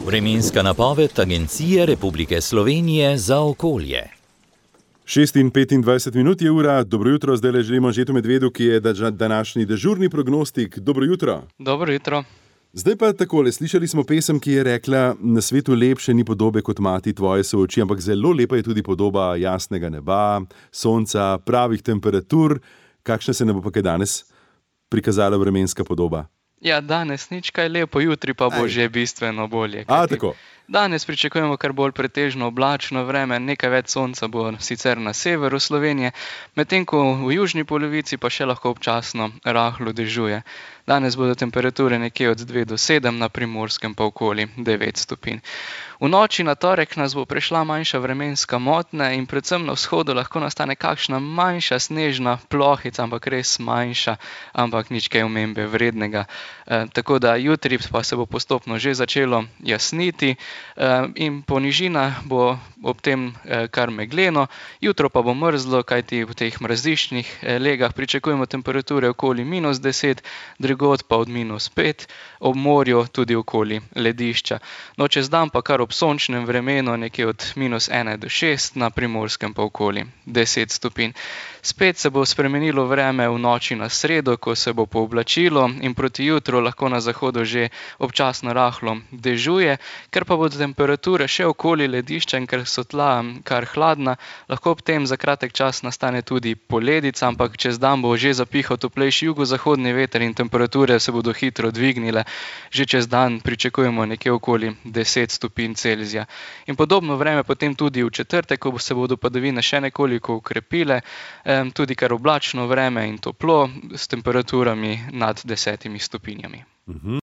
Vremenska napoved Agencije Republike Slovenije za okolje. 6:25 je ura, dobro jutro, zdaj le želimo Anžetu Medvedu, ki je današnji dežurni prognostik. Dobro jutro. Dobro jutro. Zdaj pa takole, slišali smo pesem, ki je rekla: na svetu lepše ni podobe kot mati tvoje so oči, ampak zelo lepa je tudi podoba jasnega neba, sonca, pravih temperatur. Kakšna se ne bo pa kaj danes prikazala vremenska podoba? Ja, danes nič kaj lepo, jutri pa bo že bistveno bolje. Tako. Danes pričakujemo kar bolj pretežno oblačno vreme, nekaj več sonca bo sicer na severu Slovenije, medtem ko v južni polovici pa še lahko občasno rahlo dežuje. Danes bodo temperature nekje od 2 do 7, na Primorskem pa okoli 9 stopinj. V noči na torek nas bo prešla manjša vremenska motnja in predvsem na vzhodu lahko nastane kakšna manjša snežna plohica, ampak res manjša, ampak nič kaj omembe vrednega. Tako da jutri pa se bo postopno že začelo jasniti in po nižinah bo ob tem kar megleno. Jutro pa bo mrzlo, kajti v teh mraziščnih legah pričakujemo temperature okoli -10, drugod pa od -5, ob morju tudi okoli ledišča. No, čez dan pa kar ob sončnem vremenu nekje od -1 do 6, na Primorskem pa okoli 10 stopinj. Spet se bo spremenilo vreme v noči na sredo, ko se bo pooblačilo in proti jutru lahko na zahodu že občasno rahlo dežuje. Ker pa bodo temperature še okoli ledišča in ker so tla kar hladna, lahko ob tem za kratek čas nastane tudi poledica, ampak čez dan bo že zapihal toplejši jugozahodni veter in temperature se bodo hitro dvignile. Že čez dan pričakujemo nekje okoli 10 stopinj Celzija. In podobno vreme potem tudi v četrtek, ko se bodo padavine še nekoliko okrepile, tudi kar oblačno vreme in toplo, s temperaturami nad 10 stopinjami.